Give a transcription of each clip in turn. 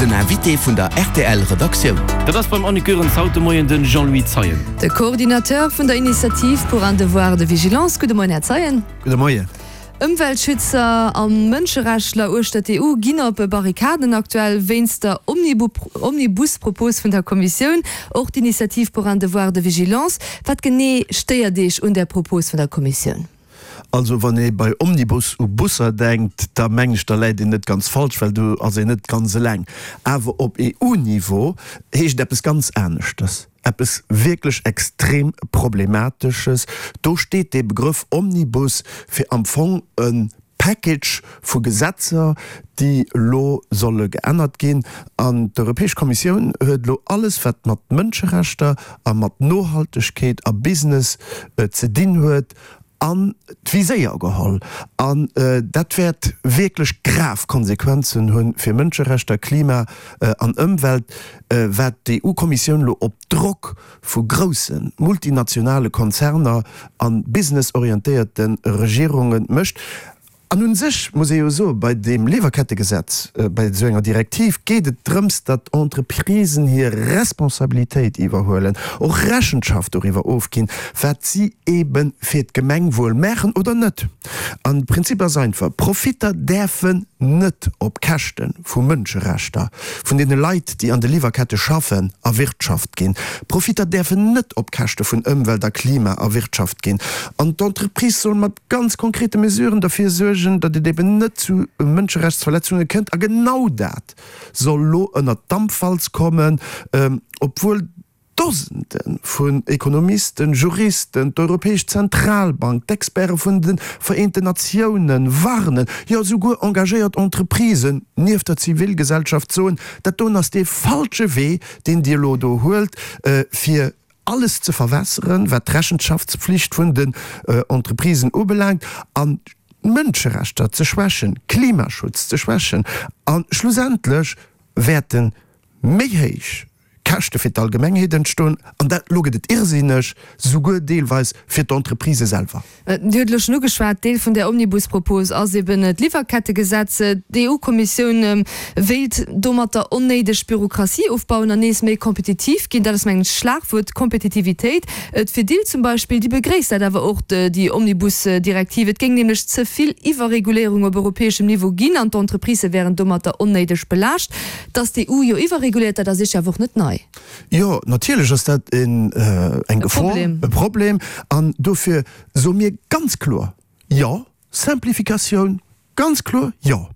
Den Invité vun der rtl Redaktioun. Dat ass beim Annick Goerens haut de Moien de Jean-Louis Zeien. De Coordinateur vun der Initiative pour un devoir de vigilance. Gudde Moien, Här Zeien. Gudde Moien. Ëmweltschützer a Mënscherechtler uechter d'EU ginn op Barrikaden aktuell wéinst der Omnibus-Propos vun der Kommissioun. Och d'Initiative pour un devoir de vigilance. Wat genee stéiert Iech un där Propos vun der Kommissioun? Also wann ee bei Omnibus u Busser denkt, da mengen ech, da läit een net ganz falsch, well do ass een net ganz eleng. Awer op EU-Niveau heescht et eppes ganz aneschtes, eppes wierklech extrem Problematesches. Do steet dee Begrëff Omnibus fir am Fong e Package vu Gesetzer, déi elo solle geännert ginn. An d'Europäesch Kommissioun huet elo alles, wat mat Mënscherechter a mat Nohaltegkeet a Business ze dinn huet, an d'Viséier geholl. An dat wäert wierklech grav Konsequenzen hu fir Mënscherechter, Klima an Ëmwelt, wat d'EU-Kommissioun elo op Drock vu grousse multinationale Konzerner a businessorientéierte Regierunge mécht. An un sech muss ee jo soen, bei deem Liwwerkettegesetz, bei esou enger Direktiv geet et drëms, datt Entreprisen hir Responsabilitéit iwwerhuelen, och Rechenschaft doriwwer ofginn, wat si eebe fir d'Gemengwuel maachen oder net. An de Prinzip ass einfach, Profitter däerfen net op Käschte vu Mënscherechter, vun deene Leit, déi an de Liwwerkette schaffen, erwirtschaft ginn. Profitter däerfen net op Käschte vun Ëmwelt a Klima erwirtschaft ginn. An d'Entreprise soll mat ganz konkrete Mesuren derfir suergen, datt et eben net zu Mënscherechtsverletzunge kënnt. A genau dat soll elo ënnert d'Dampwalz kommen, obwuel Dosende vun Ekonomisten, Juristen, d'Europäesch Zentralbank, d'Experte vun de Vereenten Natiounen warnen, jo esouguer engagéiert Entreprisen nieft der Zivilgesellschaft soen, dat doen ass dee falsche Wee, deen Dir elo do huelt, fir alles ze verwässeren, wat d'Rechenschaftspflicht vun den Entreprisen ubelaangt, an d'Mënscherechter ze schwächen, Klimaschutz ze schwächen, a schlussendlech wäerte méi héich Käschte fir d'Allgemengheet entstoen, an dat, elo gëtt et irrsinneg, souguer deelweis fir d'Entreprisë selwer. Dir hutt elo schonn ugeschwat, Deel vun där Omnibus-Propos ass eben d'Liwwerkettegesetz. D'EU-Kommissioun wéilt domatter onnéideg Bürokratie ofbauen an nees méi kompetitiv ginn. Dat ass mengen ech d'Schlagwuert, Kompetitivitéit. D'Fedil zum Beispill, déi begréisst dat awer och, déi Omnibus-Direktiv. Et géing nämlech ze vill Iwwerreguléierung op europäeschem Niveau ginn an d'Entreprisë wären domatter onnéideg belaascht. Datt d'EU jo iwwerreguléiert, dat ass Iech awer och net nei. Jo, natierlech ass dat eng Gefor, e Problem. An dofir soe mir ganz kloer, Jo, Simplificatioun, ganz kloer Jo.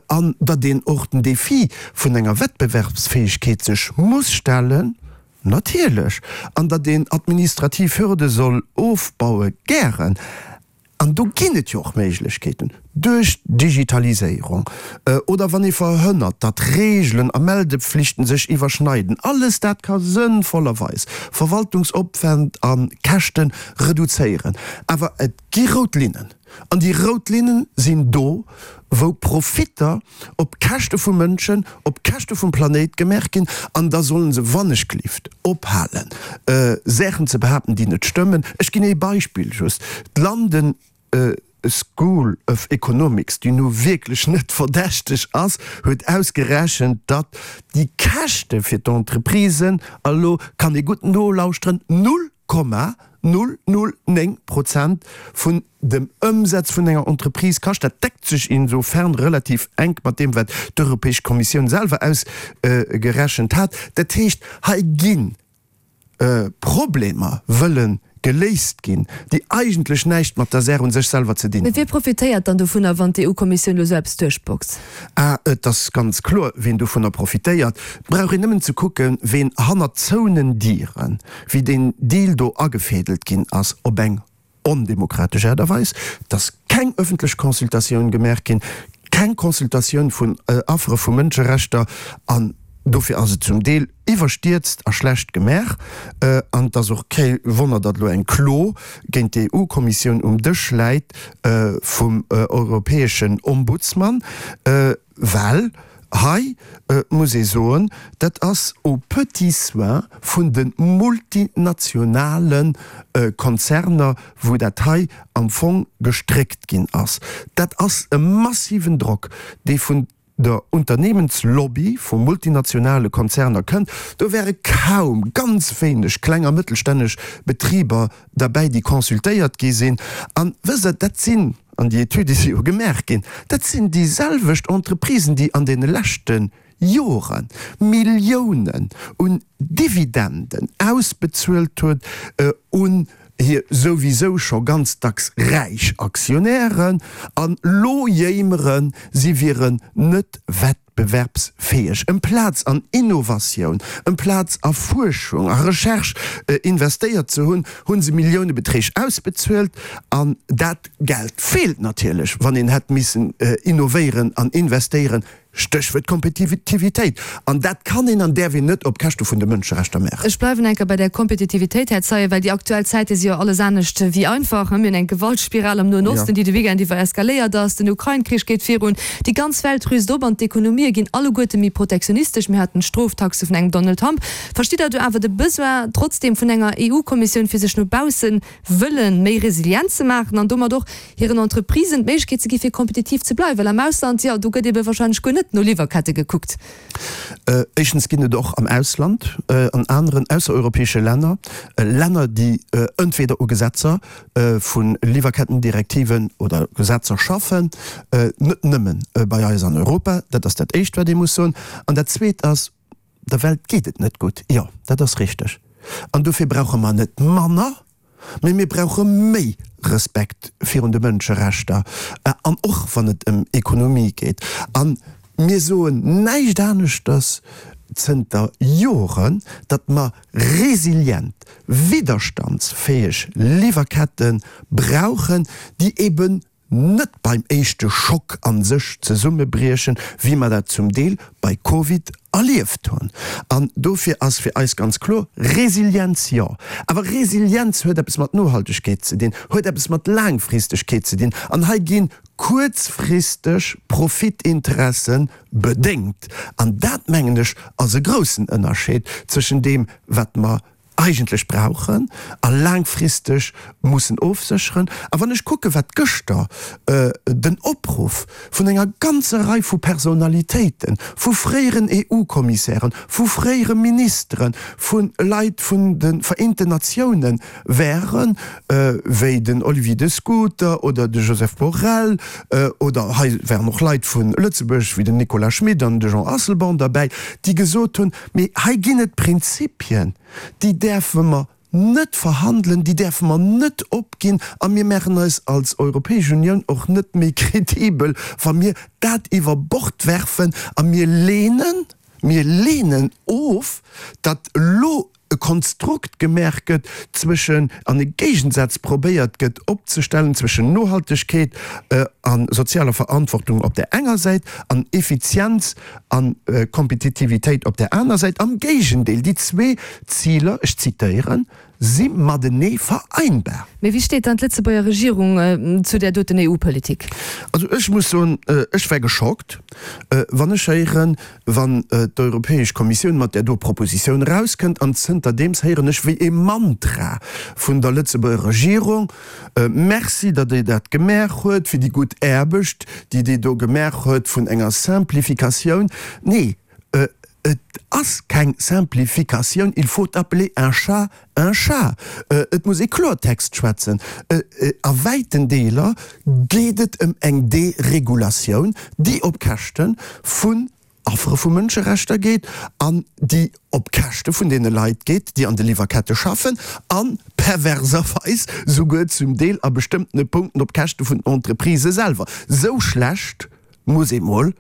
An datt een och den Défi vun enger Wettbewerbsfäegkeet sech muss stellen, natierlech. An datt een administrativ Hürde soll ofbaue, gären. An do ginn et jo och Méiglechkeeten, duerch d'Digitaliséierung oder wann ee verhënnert, datt Reegelen a Meldepflichten sech iwwerschneiden. Alles dat ka sënnvollerweis Verwaltungsopwänd a Käschte reduzéieren. Awer et gi rout Linnen. An déi rout Linne sinn do, wou Profitter op Käschte vu Mënschen, op Käschte vum Planéit gemaach ginn. An da solle se wannechgelift ophalen, Saachen ze behaapten, déi net stëmmen. Ech ginn ee Beispill just, D'London School of Economics, déi nu wierklech net verdächteg ass, huet ausgerechent, datt déi Käschte fir d'Entreprisen, a lo kann ee gutt nolauschteren, 0,009 Prozent vun dem Ëmsaz vun enger Entreprise kascht. Dat deckt sech insofern relativ enk mat deem, wat d'Europäesch Kommissioun selwer ausgerechent hat. Dat heescht, hei gi Problemer wëlle geléist ginn, déi eigentlech näischt mat der Saach u sech selwer ze dinn Mee wie hunn. profitéiert dann dovunner, wann d'EU-Kommissioun elo esou eppes duerchboxt? Ah, et ass ganz kloer, ween dovunner profitéiert. Et brauch een nëmmen ze kucken, ween hannert zouenen Dieren, wéi deen Deal do agefädelt ginn ass, op eng ondemokratesch Aart a Weis, et ass keng ëffentlech Consultatioun gemaach ginn, keng Consultatioun vun Affere vu Mënscherechter, an dofir ass et zum Deel iwwerstierzt a schlecht gemaach. An et ass och kee Wonner, datt elo eng Klo géint d'EU-Kommissioun um Dësch läit vum europäeschen Ombudsman, Well hei muss ee soen, dat ass aux petits soins vun de multinationale Konzerner, wou dat hei am Fong gestréckt ginn ass. Dat ass e massiven Drock, dee vun. der Unternehmenslobby vu multinationale Konzerner kënnt. Do wäre kaum, ganz wéineg kleng a mëttelstänneg Betriber derbäi, déi consultéiert gi sinn. An, wësst Der, dat sinn, an déi Etüde si jo gemaach ginn, dat sinn déi selwecht Entreprisen, déi an deene leschte Jore Milliounen un Dividenden ausbezuelt huet un hir souwisou scho ganz dacks räich Aktionären, an lo jéimeren, si wieren net wettbewerbsfäeg. Emplaz an Innovatioun, emplaz a Fuerschung a Recherche investéiert ze hunn, hu se Milliounebeträg ausbezuelt. An dat Geld feelt natierlech, wann een hätt missen innovéieren an investéieren. Stéchwuert Kompetitivitéit. An dat kann een an däerf een net op Käschte vun de Mënscherechter maachen. Ech bleiwen eng Kéier bei där Kompetitivitéit, Här Zeyen, well déi aktuell Zäite si jo alles anescht wéi einfach. Mir hunn eng Gewaltspiral am Noen Osten, déi de Weekend iwwer eskaléiert ass. Den Ukrain-Krich geet virun. Déi ganz Welt rüst op an d'Ekonomië ginn alleguerte méi protektionistesch. Mir haten d'Stroftaxe vun engem Donald Trump. Verstitt Der do awer de Besoin trotzdeem vun enger EU-Kommissioun, fir sech no bausse wëlle méi resilient ze maachen an domat och hiren Entreprisen d'Méiglechkeet ze gi fir kompetitiv ze bleiwen, well am Ausland, jo, do gëtt ebe wahrscheinlech guer net no Liwwerkette gekuckt. Éischtens ginn et och am Ausland, an aneren aussereuropäesche Länner, Länner, déi entweder u Gesetzer vu Liwwerkettendirektiven oder Gesetzer schaffen, net nëmmen bei eis an Europa. Dat ass dat Éischt, wat ee muss soen. An dat Zweet ass, Der Welt geet et net gutt, jo, dat ass richteg. An dofir brauche mer net manner, mee mir brauche méi Respekt virun de Mënscherechter, an och wann et ëm Ekonomie geet. A mir soen näischt aneschters zënter Joren, datt mer resilient, widderstandsfäeg Liwwerkette brauchen, déi eben net beim éischte Schock a sech zesummebriechen, wéi mer dat zum Deel bei Covid erlieft hunn. An dofir ass fir eis ganz kloer, Resilienz jo, awer Resilienz huet eppes mat Nohaltegkeet ze dinn, huet eppes mat Laangfristegkeet ze dinn. An hei gi kuerzfristeg Profitinteresse bedéngt. An dat, mengen ech, ass e groussen Ënnerscheed zwëschen deem, wat mer eigentlech brauchen a laangfristeg mussen ofsécheren. A wann ech kucken, wat gëschter den Opruff vun enger ganzer Rei vu Personalitéiten, vu fréieren EU-Kommissären, vu fréiere Ministeren, vu Leit vun de Vereenten Natiounen waren, wéi den Olivier de Schutter oder de Joseph Borrell, oder hei waren och Leit vu Lëtzebuerg wéi den Nicolas Schmit an de Jean Asselborn derbäi, déi gesot hunn, Mee hei ginn et Prinzipien, déi däerfe mer net verhandelen, déi däerfe mer net opginn a mir maachen eis als Europäesch Unioun och net méi kredibel, wa mir dat iwwer Bord werfen a mir lehnen, mir lehnen of, datt elo e Konstrukt gemaach gëtt zwëschen, an e Géigensaz probéiert gëtt opzestellen zwëschen Nohaltegkeet a sozialer Verantwortung op där enger Säit an Effizienz a Kompetitivitéit op där aner Säit. Am Géigendeel, déi zwee Ziler, ech zitéieren, si matenee vereinbar. Mee wéi steet dann d'Lëtzebuerger Regierung zu där doten EU-Politik? Also ech muss soen, ech war geschockt, wann ech héieren, wann d'Europäesch Kommissioun mat där do Propositioun erauskënnt, an zënterdeems héieren ech wéi e Mantra vun der Lëtzebuerger Regierung, Merci, datt Dir dat gemaach huet, fir déi gutt Aarbecht, déi Dir do gemaach huet vun enger Simplificatioun. Nee, et ass keng Simplificatioun, il faut appeler un chat un chat. Et muss ee Klortext schwätzen. A wäiten Deeler geet et ëm eng Deregulatioun, déi op Käschte vun Affere vu Mënscherechter geet an déi op Käschte vun deene Leit geet, déi an de Liwwerkette schaffen, a perverserweis souguer zum Deel a bestëmmtene Punkten op Käschte vun den Entreprisë selwer. Sou schlecht muss ee mol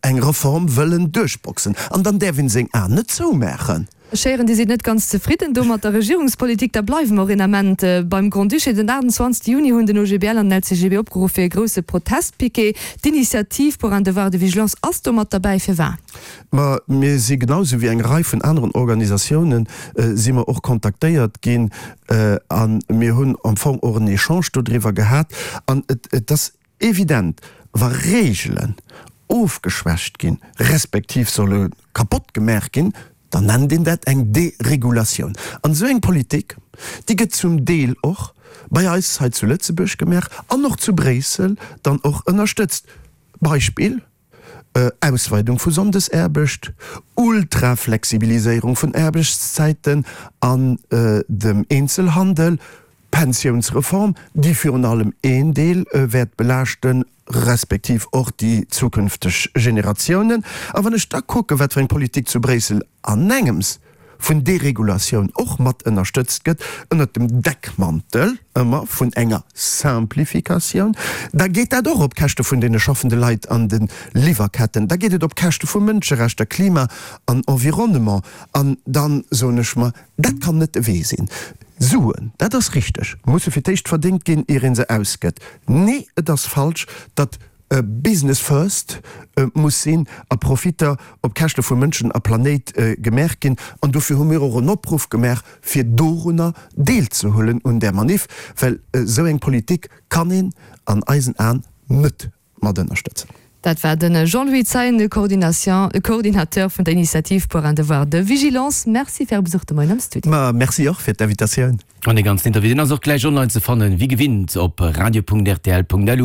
eng Reform wëllen duerchboxen. An dann däerf een seng Aen net zoumaachen. Ech héieren, Dir sidd net ganz zefridden do mat der Regierungspolitik. Da bleiwe mer och een Ament beim Grand-Duché. Den 28 Juni hunn den OGBL an den LCGB opgeruff fir e grousse Protestpiquet. D'Initiative pour un devoir de vigilance ass do mat derbäi. Firwat? Ma mir si genau esou wéi eng Rei vun aneren Organisatiounen si mer och kontaktéiert ginn a mir hunn am Fong och en Echange dodriwwer gehat. An et ass Evident, wa Reegelen ofgeschwächt ginn, respektiv solle kapott gemaach ginn, dann nennt een dat eng Deregulatioun. An esou eng Politik, déi gëtt zum Deel och bei eis hei zu Lëtzebuerg gemaach an och zu Bréissel dann och ënnerstëtzt. Beispill. Ausweidung vu Sonndesaarbecht, Ultraflexibiliséierung vun Aarbechtszäiten an dem Eenzelhandel, Pensiounsreform, déi virun allem een Deel wäert belaaschten, respektiv och déi zukünfteg Generatiounen. A wann ech da kucken, wat fir eng Politik zu Bréissel anengems vun Deregulatioun och mat ënnerstëtzt gëtt, ënnert dem Deckmantel ëmmer vun enger Simplificatioun, da geet dat och op Käschte vun deene schaffende Leit an de Liwwerketten, da geet et op Käschte vu Mënscherechter, Klima an Environnement. An dann soen ech mer, dat kann net de Wee sinn. Suen, dat ass richteg, musse fir d'éischt verdéngt ginn, ier ee se ausgëtt. Nee, et ass falsch, datt Business first muss sinn a Profitter op Käschte vu Mënschen a Planéit gemaach ginn. An dofir hu mir och en Opruff gemaach, fir dorunner deelzehuelen un där Maniff, well esou eng Politik kann een an eisen Aen net mat ënnerstëtzen. Dat war de Jean-Louis Zeien, de Coordinateur vun der Initiative pour un devoir de vigilance. Merci fir Äre Besuch de Moien am Studio. Ma merci och fir d'Invitatioun. An dee ganzen Interview, deen ass och gläich online ze fannen, wéi gewinnt op radio.rtl.lu.